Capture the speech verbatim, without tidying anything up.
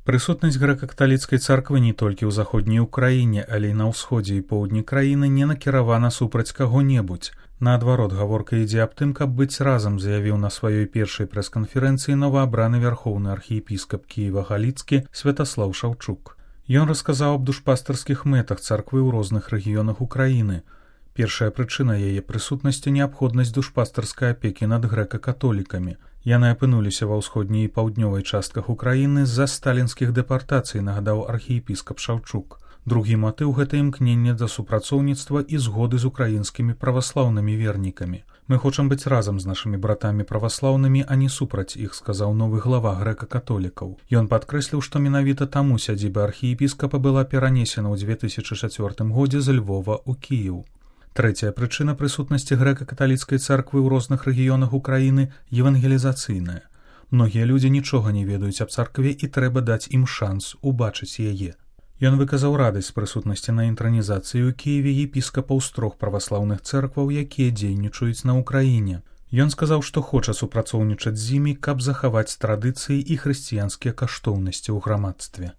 Прысутнасць грэка-каталіцкай царквы не толькі ў заходняй Украіне, але і на ўсходзе і поўдні краіны не накіравана супраць каго-небудзь. Наадварот, гаворка ідзе аб тым, каб быць разам, заявіў на сваёй першай прэс-канферэнцыі новаабраны вярхоўны архіепіскап Кіева-Галіцкі Святаслаў Шаўчук. Ён расказаў аб душпастарскіх мэтах царквы ў розных рэгіёнах Украіны. Першая прычына яе прысутнасці – неабходнасць душпастарскай апекі над грэка-католікамі. Яны апынуліся ва ўсходняй і паўднёвай частках Украіны з-за сталінскіх дэпартацый, нагадаў архіепіскап Шаўчук. Другі матыў – гэта імкненне да супрацоўніцтва і згоды з украінскімі праваслаўнымі вернікамі. Мы хочам быць разам з нашымі братамі праваслаўнымі, а не супраць іх, сказаў новы глава грэка-католікаў. Ён падкрэсліў, што менавіта таму сядзіба архіепіскапа была перанесена ў дзве тысячы чацвёртым годзе з Львова ў Кіеў. Трэцяя прычына прысутнасці грэка-каталіцкай царквы ў розных рэгіёнах Украіны – евангелізацыйная. Многія людзі нічога не ведаюць аб царкве і трэба даць ім шанс убачыць яе. Ён выказаў радасць прысутнасці на інтранізацыі ў Кіеве епіскапаў з трох праваслаўных цэркваў, якія дзейнічаюць на Украіне. Ён сказаў, што хоча супрацоўнічаць з імі, каб захаваць традыцыі і хрысціянскія каштоўнасці ў грамадстве.